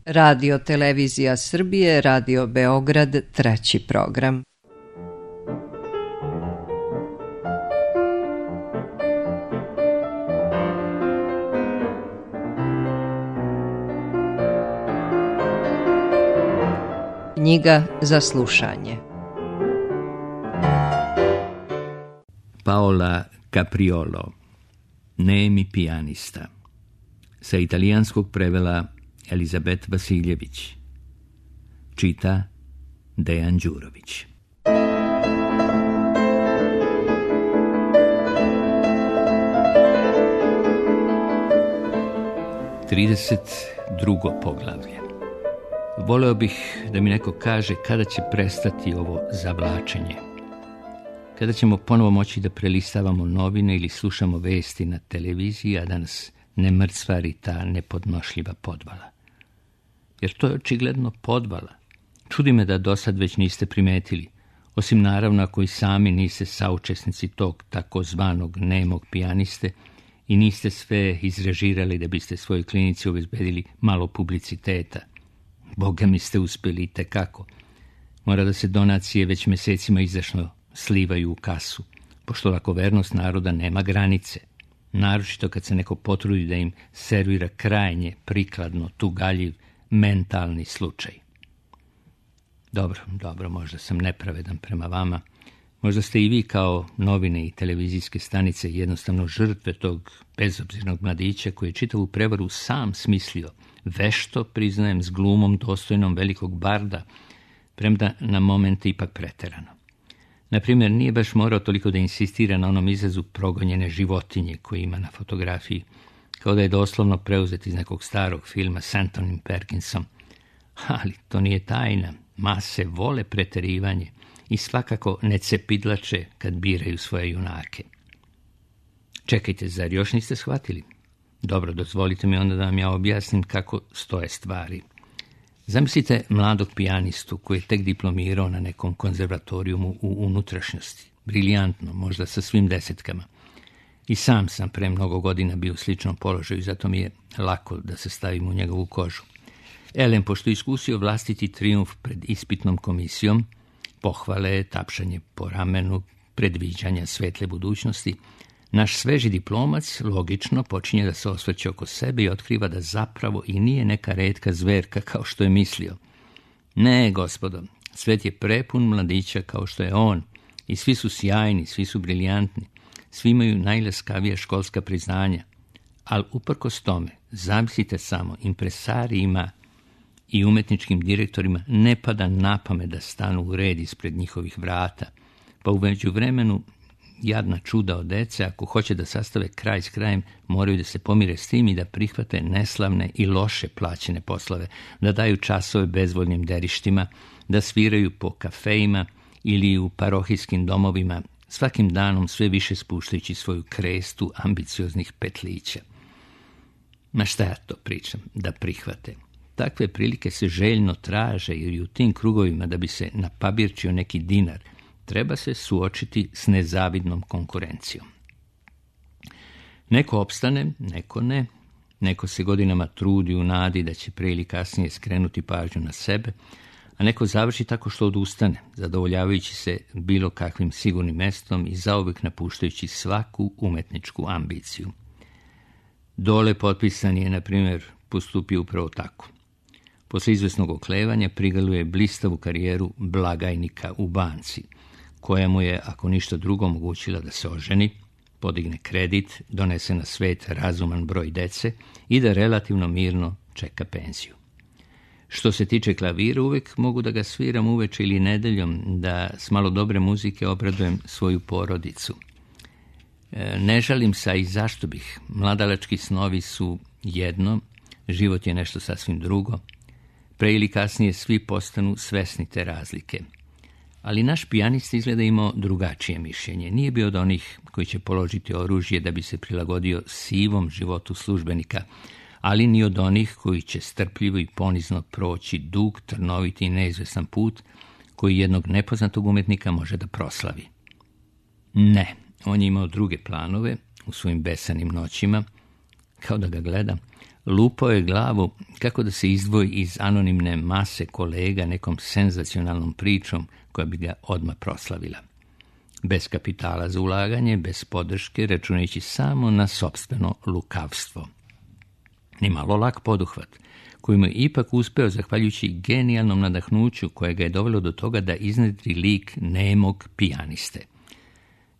Radio Televizija Srbije, Radio Beograd, treći program. Knjiga za slušanje. Paola Capriolo, Nemi pijanista. Sa italijanskog prevela Elizabet Vasiljević. Čita Dejan Đurović. Drugo poglavlje. Voleo bih da mi neko kaže kada će prestati ovo zavlačenje. Kada ćemo ponovo moći da prelistavamo novine ili slušamo vesti na televiziji, a da nas ne mrcvari ta nepodnošljiva podvala. Jer to je očigledno podvala. Čudi me da do sad već niste primetili, osim naravno ako i sami niste saučesnici tog takozvanog nemog pijaniste i niste sve izrežirali da biste svojoj klinici obezbedili malo publiciteta. Boga mi ste uspeli i tekako. Mora da se donacije već mesecima izdašno slivaju u kasu, pošto lakovernost naroda nema granice. Naročito kad se neko potrudi da im servira krajnje, prikladno, tugaljiv, mentalni slučaj. Dobro, možda sam nepravedan prema vama. Možda ste i vi kao novine i televizijske stanice jednostavno žrtve tog bezobzirnog mladića koji je čitavu prevaru sam smislio, vešto, priznajem, s glumom dostojnom velikog barda, premda na momente ipak preterano. Naprimjer, nije baš morao toliko da insistira na onom izrazu progonjene životinje koji ima na fotografiji, kao da je doslovno preuzet iz nekog starog filma s Antonym Perkinsom. Ali to nije tajna, mase vole preterivanje i svakako ne cepidlače kad biraju svoje junake. Čekajte, zar još niste shvatili? Dobro, dozvolite mi onda da vam ja objasnim kako stoje stvari. Zamislite mladog pijanistu koji je tek diplomirao na nekom konzervatorijumu u unutrašnjosti. Briljantno, možda sa svim desetkama. I sam pre mnogo godina bio u sličnom položaju, zato mi je lako da se stavim u njegovu kožu. Elem, pošto je iskusio vlastiti trijumf pred ispitnom komisijom, pohvale, tapšanje po ramenu, predviđanja svetle budućnosti, naš sveži diplomac logično počinje da se osvrće oko sebe i otkriva da zapravo i nije neka retka zverka kao što je mislio. Ne, gospodo, svet je prepun mladića kao što je on i svi su sjajni, svi su briljantni, svi imaju najlaskavija školska priznanja, ali uprkos tome, zamislite samo, impresarijima i umetničkim direktorima ne pada na pamet da stanu u red ispred njihovih vrata, pa u međuvremenu jadna čuda od dece, ako hoće da sastave kraj s krajem, moraju da se pomire s tim i da prihvate neslavne i loše plaćene poslove, da daju časove bezvoljnim derištima, da sviraju po kafejima ili u parohijskim domovima, svakim danom sve više spuštajući svoju krestu ambicioznih petlića. Ma šta ja to pričam, da prihvate? Takve prilike se željno traže, jer i u tim krugovima da bi se napabirčio neki dinar, treba se suočiti s nezavidnom konkurencijom. Neko opstane, neko ne, neko se godinama trudi u nadi da će pre ili kasnije skrenuti pažnju na sebe, a neko završi tako što odustane, zadovoljavajući se bilo kakvim sigurnim mestom i zauvek napuštajući svaku umetničku ambiciju. Dole potpisan je, na primjer, postupio upravo tako. Posle izvesnog oklevanja prigaluje blistavu karijeru blagajnika u banci, koja mu je, ako ništa drugo, omogućila da se oženi, podigne kredit, donese na svet razuman broj dece i da relativno mirno čeka penziju. Što se tiče klavira, uvek mogu da ga sviram uveče ili nedeljom, da s malo dobre muzike obradujem svoju porodicu. Ne žalim se, a i zašto bih. Mladalački snovi su jedno, život je nešto sasvim drugo. Pre ili kasnije svi postanu svesni te razlike. Ali naš pijanista izgleda imao drugačije mišljenje. Nije bio od onih koji će položiti oružje da bi se prilagodio sivom životu službenika, ali ni od onih koji će strpljivo i ponizno proći dug, trnoviti i neizvesan put koji jednog nepoznatog umetnika može da proslavi. Ne, on je imao druge planove u svojim besanim noćima, kao da ga gledam, Lupao je glavu kako da se izdvoji iz anonimne mase kolega nekom senzacionalnom pričom koja bi ga odmah proslavila. Bez kapitala za ulaganje, bez podrške, računajući samo na sopstveno lukavstvo. Nimalo lak poduhvat, koji mu je ipak uspeo zahvaljujući genijalnom nadahnuću koje ga je dovelo do toga da iznedri lik nemog pijaniste.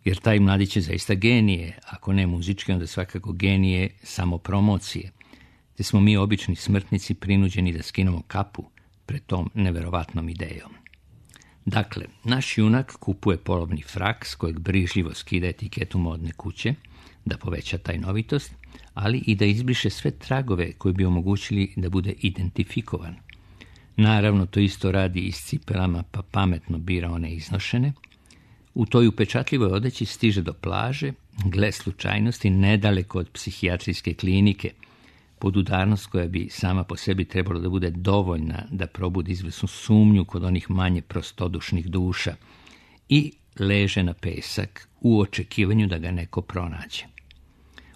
Jer taj mladić je zaista genije, ako ne muzički, onda svakako genije samopromocije, te smo mi obični smrtnici prinuđeni da skinemo kapu pred tom neverovatnom idejom. Dakle, naš junak kupuje polovni frak s kojeg brižljivo skida etiketu modne kuće, da poveća tajnovitost, ali i da izbriše sve tragove koji bi omogućili da bude identifikovan. Naravno, to isto radi i s cipelama, pa pametno bira one iznošene. U toj upečatljivoj odeći stiže do plaže, gle slučajnosti, nedaleko od psihijatrijske klinike, podudarnost koja bi sama po sebi trebalo da bude dovoljna da probudi izvesnu sumnju kod onih manje prostodušnih duša, i leže na pesak u očekivanju da ga neko pronađe.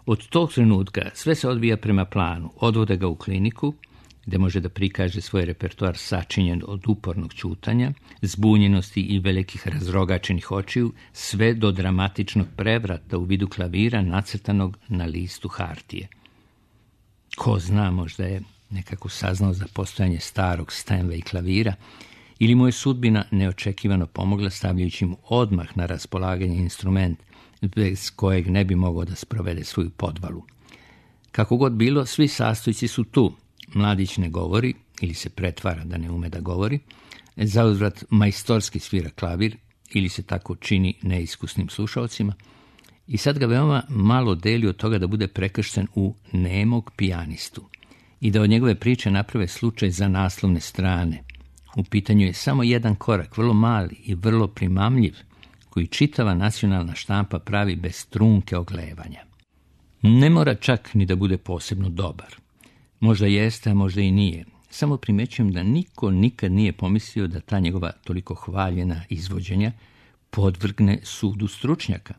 Od tog trenutka sve se odvija prema planu, odvode ga u kliniku, gde može da prikaže svoj repertoar sačinjen od upornog ćutanja, zbunjenosti i velikih razrogačenih očiju, sve do dramatičnog prevrata u vidu klavira nacrtanog na listu hartije. Ko zna, možda je nekako saznao za postojanje starog Steinway klavira, ili mu je sudbina neočekivano pomogla stavljajući mu odmah na raspolaganje instrument bez kojeg ne bi mogao da sprovede svoju podvalu. Kako god bilo, svi sastojci su tu. Mladić ne govori, ili se pretvara da ne ume da govori, zauzvrat majstorski svira klavir, ili se tako čini neiskusnim slušaocima, i sad ga veoma malo deli od toga da bude prekršten u nemog pijanistu i da od njegove priče naprave slučaj za naslovne strane. U pitanju je samo jedan korak, vrlo mali i vrlo primamljiv, koji čitava nacionalna štampa pravi bez trunke oglevanja. Ne mora čak ni da bude posebno dobar. Možda jeste, a možda i nije. Samo primećujem da niko nikad nije pomislio da ta njegova toliko hvaljena izvođenja podvrgne sudu stručnjaka.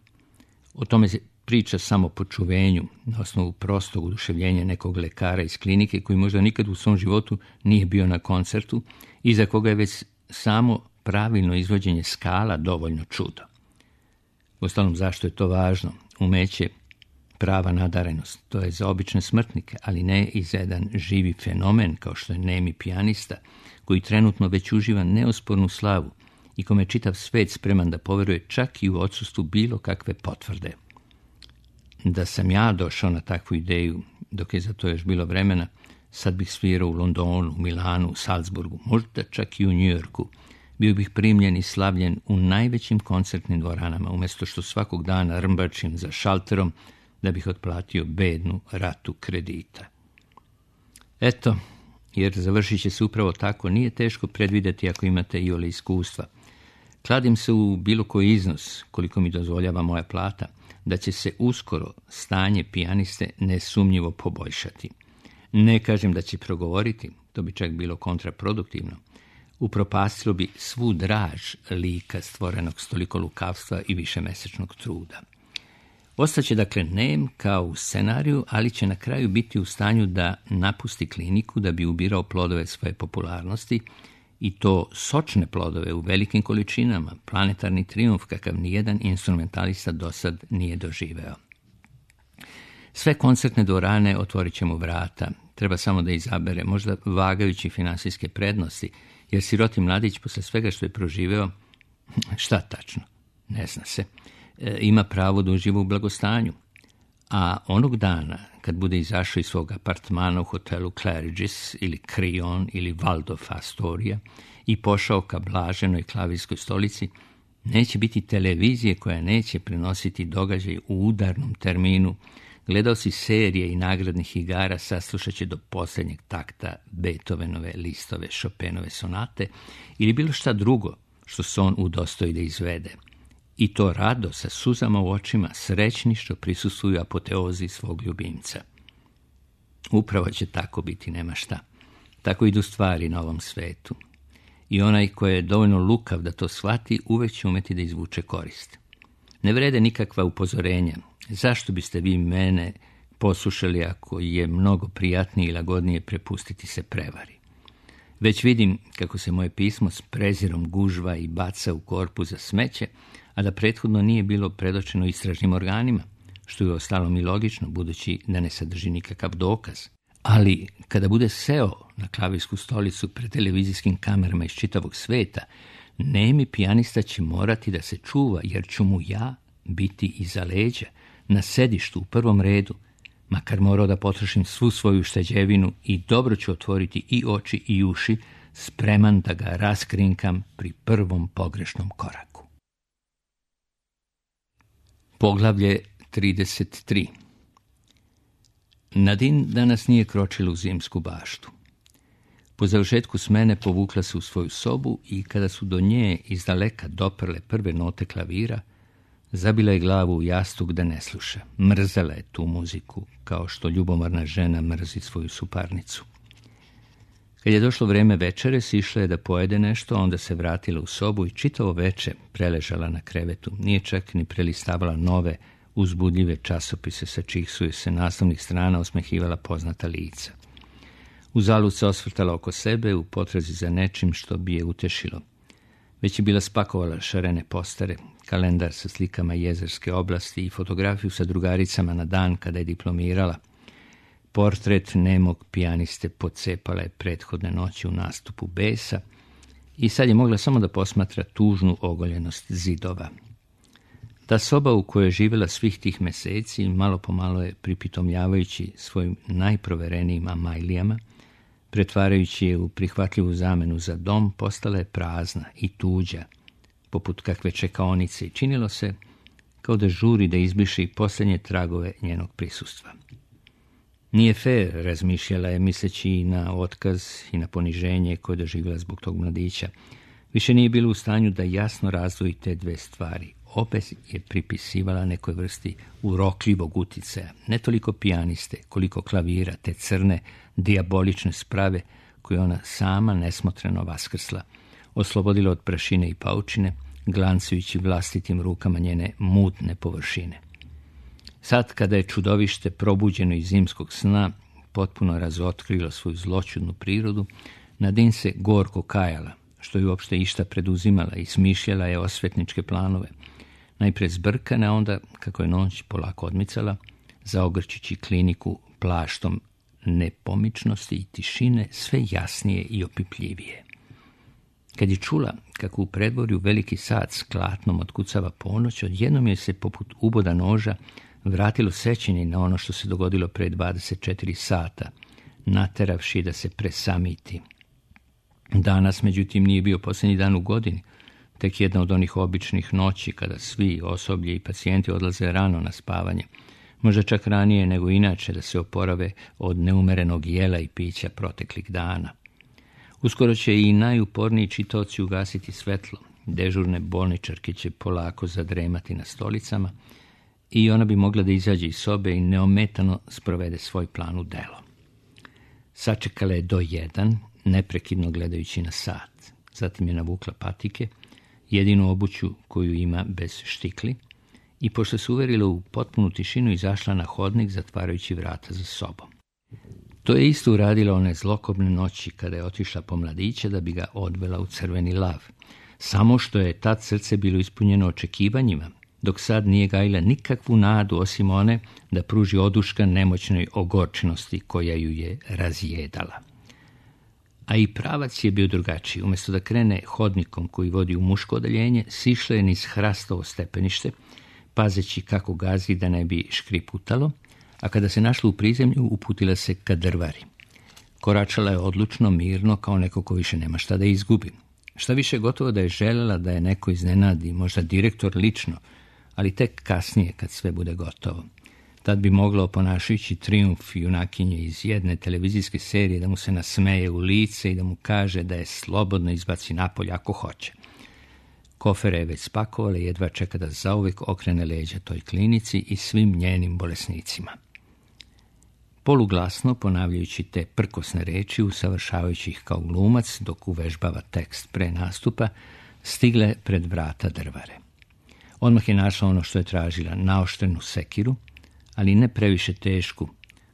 O tome se priča samo po čuvenju, na osnovu prostog oduševljenja nekog lekara iz klinike koji možda nikad u svom životu nije bio na koncertu i za koga je već samo pravilno izvođenje skala dovoljno čudo. Uostalom, zašto je to važno? Umeće, prava nadarenost, to je za obične smrtnike, ali ne i za jedan živi fenomen kao što je nemi pijanista, koji trenutno već uživa neospornu slavu i kome je čitav svet spreman da poveruje čak i u odsustvu bilo kakve potvrde. Da sam ja došao na takvu ideju, dok je za to još bilo vremena, sad bih svirao u Londonu, Milanu, u Salzburgu, možda čak i u Njujorku. Bio bih primljen i slavljen u najvećim koncertnim dvoranama, umjesto što svakog dana rmbačim za šalterom da bih otplatio bednu ratu kredita. Eto, jer završit će se upravo tako, nije teško predvideti ako imate iole iskustva. Kladim se u bilo koji iznos, koliko mi dozvoljava moja plata, da će se uskoro stanje pijaniste nesumnjivo poboljšati. Ne kažem da će progovoriti, to bi čak bilo kontraproduktivno. Upropastilo bi svu draž lika stvorenog s toliko lukavstva i višemesečnog truda. Ostaće dakle nem kao u scenariju, ali će na kraju biti u stanju da napusti kliniku da bi ubirao plodove svoje popularnosti, i to sočne plodove u velikim količinama, planetarni trijumf kakav nijedan instrumentalista dosad nije doživeo. Sve koncertne dvorane otvorit će mu vrata, treba samo da izabere, možda vagajući finansijske prednosti, jer siroti mladić posle svega što je proživeo, šta tačno, ne zna se, ima pravo da uživa u blagostanju. A onog dana, kad bude izašao iz svog apartmana u hotelu Claridge's ili Crillon ili Waldorf Astoria i pošao ka blaženoj klavirskoj stolici, neće biti televizije koja neće prenositi događaj u udarnom terminu. Gledao si serije i nagradnih igara, saslušat će do posljednjeg takta Beethovenove, Listove, Chopinove sonate ili bilo šta drugo što se on udostoji da izvede. I to rado, sa suzama u očima, srećni što prisustvuju apoteozi svog ljubimca. Upravo će tako biti, nema šta. Tako idu stvari na ovom svetu. I onaj ko je dovoljno lukav da to shvati, uvek će umeti da izvuče korist. Ne vrede nikakva upozorenja. Zašto biste vi mene poslušali ako je mnogo prijatnije i lagodnije prepustiti se prevari. Već vidim kako se moje pismo s prezirom gužva i baca u korpu za smeće, a da prethodno nije bilo predočeno istražnim organima, što je ostalom i logično, budući da ne sadrži nikakav dokaz. Ali kada bude seo na klavirsku stolicu pred televizijskim kamerama iz čitavog sveta, nemi pijanista će morati da se čuva, jer ću mu ja biti iza leđa, na sedištu u prvom redu, makar morao da potrošim svu svoju šteđevinu i dobro ću otvoriti i oči i uši, spreman da ga raskrinkam pri prvom pogrešnom koraku. Poglavlje 33. Nadine danas nije kročila u zimsku baštu. Po završetku smene povukla se u svoju sobu i kada su do nje izdaleka doprle prve note klavira, zabila je glavu u jastuk da ne sluša. Mrzela je tu muziku, kao što ljubomorna žena mrzi svoju suparnicu. Kad je došlo vreme večere, sišla je da pojede nešto, onda se vratila u sobu i čitavo veče preležala na krevetu. Nije čak ni prelistavala nove, uzbudljive časopise sa čijih su joj se naslovnih strana osmehivala poznata lica. Uzalud se osvrtala oko sebe u potrazi za nečim što bi je utešilo. Već je bila spakovala šarene postare, kalendar sa slikama jezerske oblasti i fotografiju sa drugaricama na dan kada je diplomirala. Portret nemog pijaniste pocepala je prethodne noći u nastupu besa i sad je mogla samo da posmatra tužnu ogoljenost zidova. Ta soba u kojoj je živjela svih tih meseci, malo po malo je pripitomljavajući svojim najproverenijim amajlijama, pretvarajući je u prihvatljivu zamenu za dom, postala je prazna i tuđa, poput kakve čekaonice, i činilo se kao da žuri da izbriše i posljednje tragove njenog prisustva. Nije fair, razmišljala je, misleći i na otkaz i na poniženje koje doživjela zbog tog mladića. Više nije bila u stanju da jasno razdvoji te dve stvari. Opet je pripisivala nekoj vrsti urokljivog uticaja, ne toliko pijaniste, koliko klavira, te crne, dijabolične sprave koje ona sama nesmotreno vaskrsla, oslobodila od prašine i paučine, glancujući vlastitim rukama njene mutne površine. Sad, kada je čudovište probuđeno iz zimskog sna potpuno razotkrilo svoju zloćudnu prirodu, Nadine se gorko kajala, što je uopšte išta preduzimala, i smišljala je osvetničke planove. Najpre zbrkane, a onda, kako je noć polako odmicala, zaogrćući kliniku plaštom nepomičnosti i tišine, sve jasnije i opipljivije. Kad je čula kako u predvorju veliki sat s klatnom otkucava ponoć, odjednom je se poput uboda noža vratilo sećanje na ono što se dogodilo pre 24 sata, nateravši da se presamiti. Danas, međutim, nije bio posljednji dan u godini, tek jedna od onih običnih noći kada svi, osoblje i pacijenti, odlaze rano na spavanje, možda čak ranije nego inače, da se oporave od neumerenog jela i pića proteklih dana. Uskoro će i najuporniji čitaoci ugasiti svetlo, dežurne bolničarke će polako zadremati na stolicama i ona bi mogla da izađe iz sobe i neometano sprovede svoj plan u delo. Sačekala je do 1, neprekidno gledajući na sat. Zatim je navukla patike, jedinu obuću koju ima bez štikli, i pošto se uverila u potpunu tišinu, izašla na hodnik zatvarajući vrata za sobom. To je isto uradila one zlokobne noći kada je otišla po mladića da bi ga odvela u Crveni lav. Samo što je tad srce bilo ispunjeno očekivanjima, dok sad nije gajila nikakvu nadu osim one da pruži oduška nemoćnoj ogorčenosti koja ju je razjedala. A i pravac je bio drugačiji. Umjesto da krene hodnikom koji vodi u muško odeljenje, sišla je niz hrastovo stepenište, pazeći kako gazi da ne bi škriputalo, a kada se našla u prizemlju, uputila se ka drvari. Koračala je odlučno, mirno, kao neko ko više nema šta da izgubi. Šta više, gotovo da je želela da je neko iznenadi, možda direktor lično, ali tek kasnije kad sve bude gotovo. Tad bi mogla, oponašajući trijumf junakinje iz jedne televizijske serije, da mu se nasmeje u lice i da mu kaže da je slobodno izbaci napolje ako hoće. Kofere je već spakovala i jedva čeka da zauvijek okrene leđa toj klinici i svim njenim bolesnicima. Poluglasno, ponavljajući te prkosne reči, usavršavajući ih kao glumac dok uvežbava tekst pre nastupa, stigle pred vrata drvare. Odmah je našla ono što je tražila, naoštrenu sekiru, ali ne previše tešku,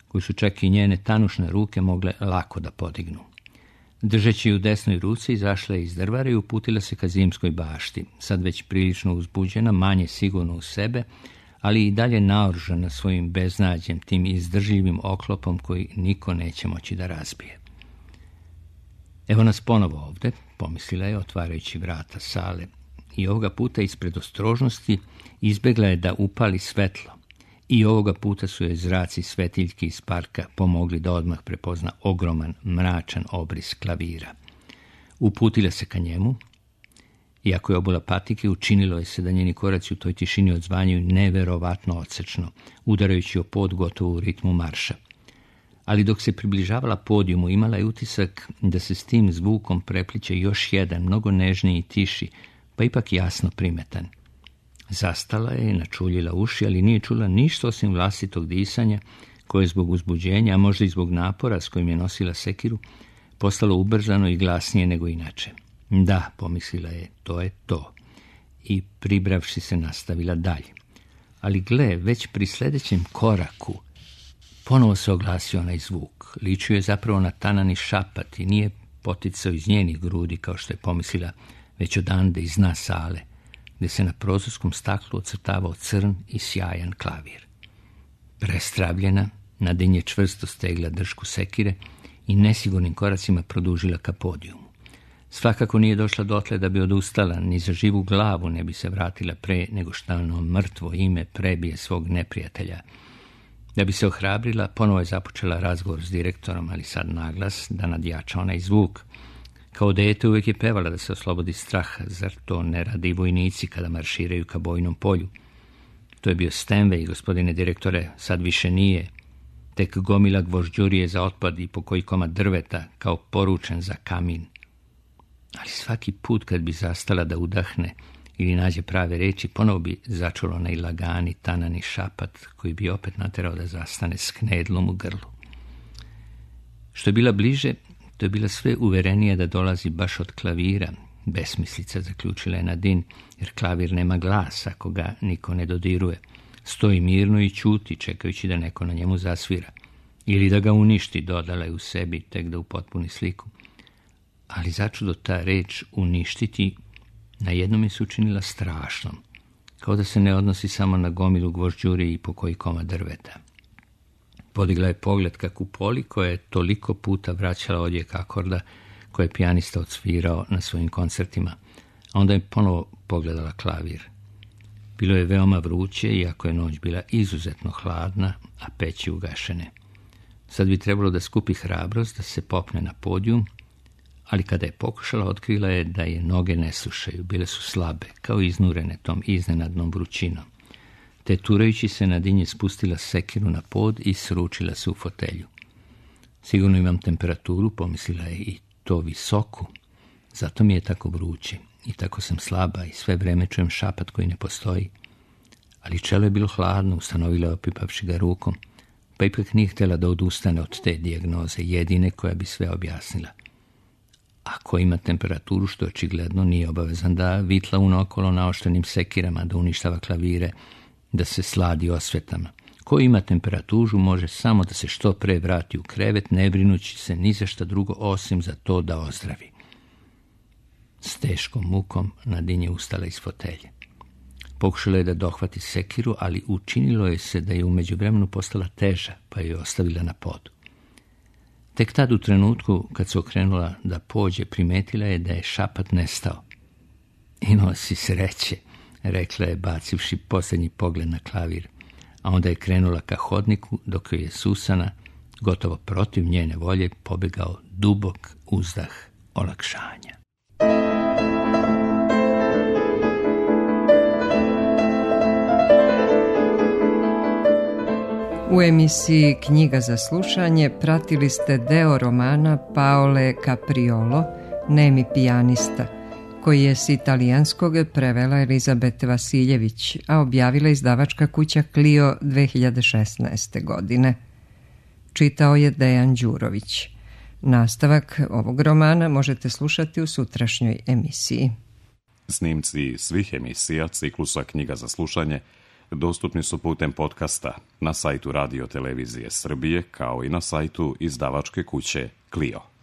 koju su čak i njene tanušne ruke mogle lako da podignu. Držeći u desnoj ruci, izašla je iz drvara i uputila se ka zimskoj bašti, sad već prilično uzbuđena, manje sigurno u sebe, ali i dalje naoružana svojim beznađem, tim izdržljivim oklopom koji niko neće moći da razbije. Evo nas ponovo ovde, pomislila je, otvarajući vrata sale, i ovoga puta ispred ostrožnosti izbegla je da upali svetlo. I ovoga puta su joj zraci svetiljki iz parka pomogli da odmah prepozna ogroman, mračan obris klavira. Uputila se ka njemu, iako je obula patike, učinilo je se da njeni koraci u toj tišini odzvanjaju neverovatno odsečno, udarajući o pod gotovo u ritmu marša. Ali dok se približavala podijumu, imala je utisak da se s tim zvukom prepliče još jedan, mnogo nežniji i tiši, pa ipak jasno primetan. Zastala je, načuljila uši, ali nije čula ništa osim vlastitog disanja, koje je zbog uzbuđenja, a možda i zbog napora s kojim je nosila sekiru, postalo ubrzano i glasnije nego inače. Da, pomislila je, to je to. I pribravši se nastavila dalje. Ali gle, već pri sljedećem koraku ponovo se oglasio onaj zvuk. Ličio je zapravo na tanani šapat i nije poticao iz njenih grudi, kao što je pomislila, već odande iz dna sale, gdje se na prozorskom staklu ocrtavao crn i sjajan klavir. Prestravljena, Nadin je čvrsto stegla držku sekire i nesigurnim koracima produžila ka podijumu. Svakako nije došla dotle da bi odustala, ni za živu glavu ne bi se vratila pre nego što ono mrtvo ime prebije svog neprijatelja. Da bi se ohrabrila, ponovo je započela razgovor s direktorom, ali sad naglas, da nadjača onaj zvuk. Kao dete uvijek je pevala da se oslobodi straha, zar to ne radi vojnici kada marširaju ka bojnom polju? To je bio Stenway, gospodine direktore, sad više nije. Tek gomila gvožđurije za otpad i po koji komad drveta, kao poručen za kamin. Ali svaki put kad bi zastala da udahne ili nađe prave reči, ponovo bi začulo onaj lagani, tanani šapat koji bi opet naterao da zastane s knedlom u grlu. Što je bila bliže, to je bila sve uverenija da dolazi baš od klavira. Besmislica, zaključila je Nadin, jer klavir nema glas ako ga niko ne dodiruje. Stoji mirno i ćuti, čekajući da neko na njemu zasvira. Ili da ga uništi, dodala je u sebi, tek da upotpuni sliku. Ali začudo ta reč uništiti na jednom je se učinila strašnom, kao da se ne odnosi samo na gomilu gvožđuri i po koji komad drveta. Podigla je pogled ka kupoli koja je toliko puta vraćala odjek akorda koje je pijanista odsvirao na svojim koncertima, a onda je ponovo pogledala klavir. Bilo je veoma vruće, iako je noć bila izuzetno hladna, a peći ugašene. Sad bi trebalo da skupi hrabrost, da se popne na podijum, ali kada je pokušala, otkrila je da je noge ne slušaju, bile su slabe, kao iznurene tom iznenadnom vrućinom. Te turajući se Nadin je spustila sekiru na pod i sručila se u fotelju. Sigurno imam temperaturu, pomislila je, i to visoku. Zato mi je tako vruće i tako sam slaba i sve vreme čujem šapat koji ne postoji. Ali čelo je bilo hladno, ustanovila je opipavši ga rukom, pa ipak nije htjela da odustane od te dijagnoze, jedine koja bi sve objasnila. Ako ima temperaturu, što očigledno nije obavezan da vitla unokolo naoštrenim sekirama, da uništava klavire, da se sladi osvetama. Ko ima temperaturu može samo da se što pre vrati u krevet, ne brinući se ni za šta drugo osim za to da ozdravi. S teškom mukom Nadin je ustala iz fotelje. Pokušala je da dohvati sekiru, ali učinilo je se da je u međuvremenu postala teža, pa je ostavila na podu. Tek tad u trenutku, kad se okrenula da pođe, primetila je da je šapat nestao. Imao si sreće, rekla je, bacivši posljednji pogled na klavir, a onda je krenula ka hodniku, dok je Susana, gotovo protiv njene volje, pobegao dubok uzdah olakšanja. U emisiji Knjiga za slušanje pratili ste deo romana Paole Capriolo, Nemi pijanista, koji je s italijanskog prevela Elizabete Vasiljević, a objavila izdavačka kuća Clio 2016. godine. Čitao je Dejan Đurović. Nastavak ovog romana možete slušati u sutrašnjoj emisiji. Snimci svih emisija ciklusa Knjiga za slušanje dostupni su putem podcasta na sajtu Radio Televizije Srbije, kao i na sajtu izdavačke kuće Clio.